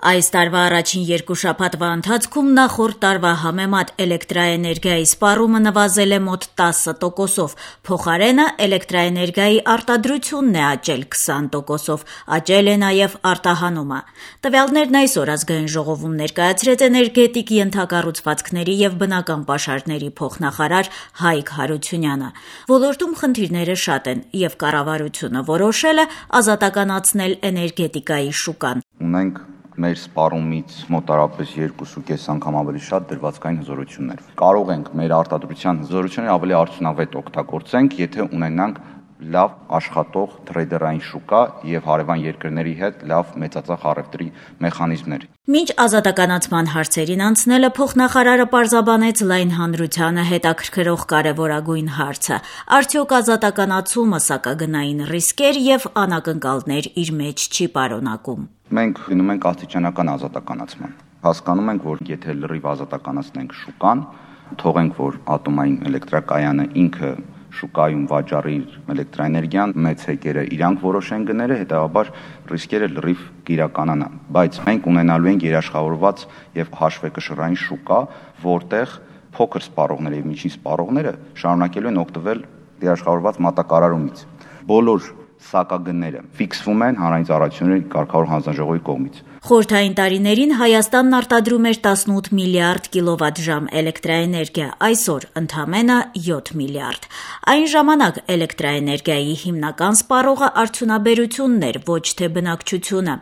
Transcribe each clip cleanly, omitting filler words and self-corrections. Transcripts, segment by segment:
Այս տարվա առաջին երկու շաբաթվա ընթացքում նախորդ տարվա համեմատ էլեկտրաէներգիայի սպառումը նվազել է մոտ 10%, փոխարենը էլեկտրաէներգիայի արտադրությունն է աճել 20%, աճել է նաև արտահանումը։ Տվյալներն այսօր Ազգային ժողովում ներկայացրեց էներգետիկ ենթակառուցվածքների և բնական պաշարների փոխնախարար Հայկ Հարությունյանը։ Ոլորտում խնդիրները շատ են, և կառավարությունը որոշել է ազատականացնել էներգետիկայի շուկան։ Ունենք մեր սպառումից մոտարապես 2.5 անգամ ավելի շատ դրվածքային հզորություններ։ Կարող ենք մեր արտադրության հզորությունները ավելի արդյունավետ օգտագործենք, եթե ունենանք լավ աշխատող թրեյդերային շուկա և հարևան երկրների հետ լավ մեծածախ առևտրի մեխանիզմներ։ Մինչ ազատականացման հարցերին անցնելը փոխնախարարը պարզաբանեց լայն հանրությանը հետաքրքրող կարևորագույն հարցը՝ արդյոք ազատականացումը սակագնային ռիսկեր և անակնկալներ իր մեջ չի պարունակում։ Մենք գնում ենք աստիճանական ազատականացման։ Հասկանում ենք, որ եթե լրիվ ազատականացնենք շուկան, թողենք, որ ատոմային էլեկտրակայանը ինքը շուկայում վաճառի էլեկտրաէներգիան, մեծ հեկերը իրանք որոշեն գները, հետևաբար ռիսկերը լրիվ կիրականանան։ Բայց մենք ունենալու ենք երաշխավորված եւ հաշվեկշռային շուկա, որտեղ փոքր սպառողները եւ միջին սպառողները շարունակելու են օգտվել երաշխավորված մատակարարումից։ Բոլոր սակագները ֆիքսվում են Հանրային ծառայությունների կարգավորող հանձնաժողովի կողմից։ Խորհրդային տարիներին Հայաստանն արտադրում էր 18 միլիարդ կիլովատժամ էլեկտրաէներգիա, այսօր ընդամենը 7 միլիարդ։ Այն ժամանակ էլեկտրաէներգիայի հիմնական սպառողը արդյունաբերությունն էր, ոչ թե բնակչությունը։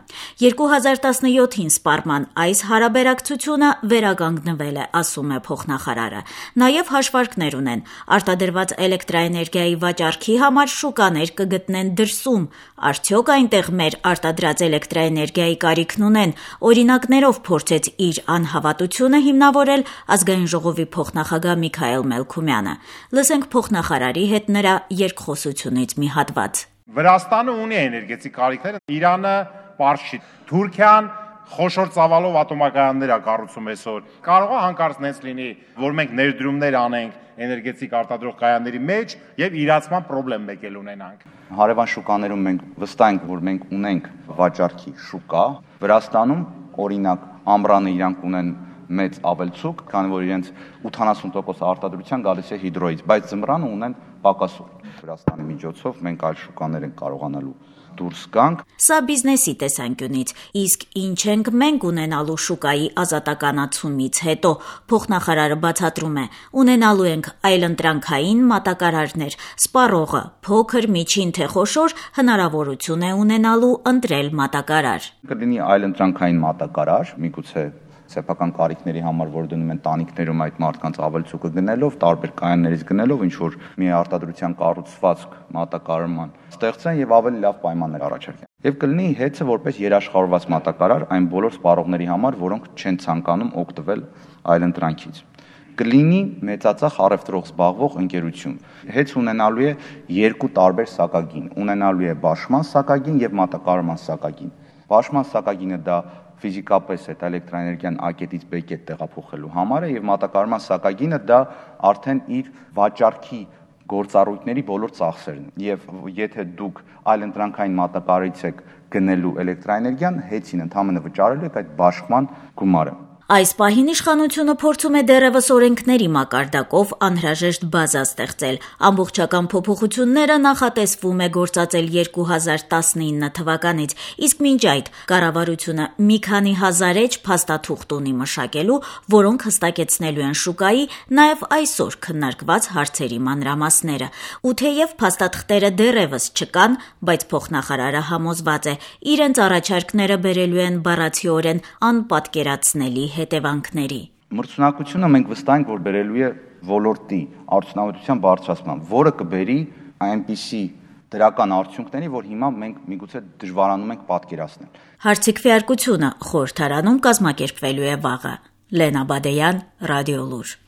2017-ին սպառման այս հարաբերակցությունը վերականգնվել է, ասում է փոխնախարարը։ Նաև հաշվարկներ ունեն։ Արտադրված էլեկտրաէներգիայի վաճառքի համար շուկաներ կգտնեն դրսում։ Արդյոք այնտեղ մեր արտադրած էլեկտրաէներգիայի կարիքն ունեն, օրինակներով փորձեց իր անհավատությունը հիմնավորել Ազգային ժողովի փոխնախագահ Միքայել Մելքումյանը։ Լսենք փոխնախարարի հետ նրա երկխոսությունից մի հատված։ Վրաստանը ունի էներգետիկ կարիքներ, Իրանը պարզ չի։ Թուրքիան խոշոր ծավալով ատոմակայաններ է կառուցում այսօր։ Կարող է հանկարծ նենց լինի, որ մենք ներդրումներ անենք էներգետիկ արտադրող կայանների մեջ եւ իրացման խնդրեմ մեկ էլ ունենանք։ Հարևան շուկաներում մենք վստահ ենք, որ մենք ունենք վաճառքի շուկա։ Վրաստանում, օրինակ, ամռանը իրանք ունեն մեծ ավելցուկ, քանի որ իրենց 80% արտադրության գալիս է հիդրոից, բայց ձմռանը ունեն պակասող։ Վրաստանի միջոցով մենք այլ շուկաներ ենք կարողանալու դուրս գանք։ Սա բիզնեսի տեսանկյունից, իսկ ինչ ենք մենք ունենալու շուկայի ազատականացումից հետո, փոխնախարարը բացատրում է, ունենալու ենք այլընտրանքային մատակարարներ, սպառողը, փոքր, միջին թե խոշոր, հնարավորություն է ունենալու ընտրել մատակարար։ Կլինի այլընտրանքային մատակարար, միգուցե սեփական կարիքների համար, որ դնում են տանիքներում այդ մարդկանց ավելցուկը գնելով, տարբեր կայաններից գնելով, ինչ որ մի արտադրության կառուցվածք մատակարարման ստեղծեն եւ ավելի լավ պայմաններ առաջարկեն։ Եվ կլինի հեծը որպես երաշխավորված մատակարար այն բոլոր սպառողների համար, որոնք չեն ցանկանում օգտվել այլընտրանքից։ Կլինի մեծածախ առևտրով զբաղվող ընկերություն։ Հեծ ունենալու է երկու տարբեր սակագին, ունենալու է բաշխման սակագին եւ մատակարարման սակագին։ Բաշխման սակագինը դա ֆիզիկապես այդ էլեկտրաէներգիան A-կետից B-կետ տեղափոխելու համար է եւ մատակարարման սակագինը դա արդեն իր վաճառքի գործառույթների բոլոր ծախսերն եւ եթե դուք այլընտրանքային մատակարարից եք գնելու էլեկտրաէներգիան, հեծին ընդհանրապես վճարելու եք այդ բաշխման գումարը։ Այս պահին իշխանությունը փորձում է դեռևս օրենքների մակարդակով անհրաժեշտ բազա ստեղծել։ Ամբողջական փոփոխությունները նախատեսվում է գործածել 2019 թվականից, իսկ մինչ այդ կառավարությունը մի քանի հազար էջ փաստաթուղթ ունի մշակելու, որոնք հստակեցնելու են շուկայի նաև այսօր քննարկված հարցերի մանրամասները։ Ու թեև փաստաթղթերը դեռևս չկան, բայց փոխնախարարը համոզված է, իրենց առաջարկները բերելու են բառացիորեն անպատկերացնելի հետևանքների։ Մրցունակությունը մենք վստահ ենք, որ բերելու է ոլորտի արդյունավետության բարձրացման, որը կբերի այնպիսի դրական արդյունքների, որ հիմա մենք միգուցե դժվարանում ենք պատկերացնել։ Հարցի քվեարկությունը խորհրդարանում կազմակերպվելու է վաղը։ Լենա Բադեյան, Ռադիոլուր։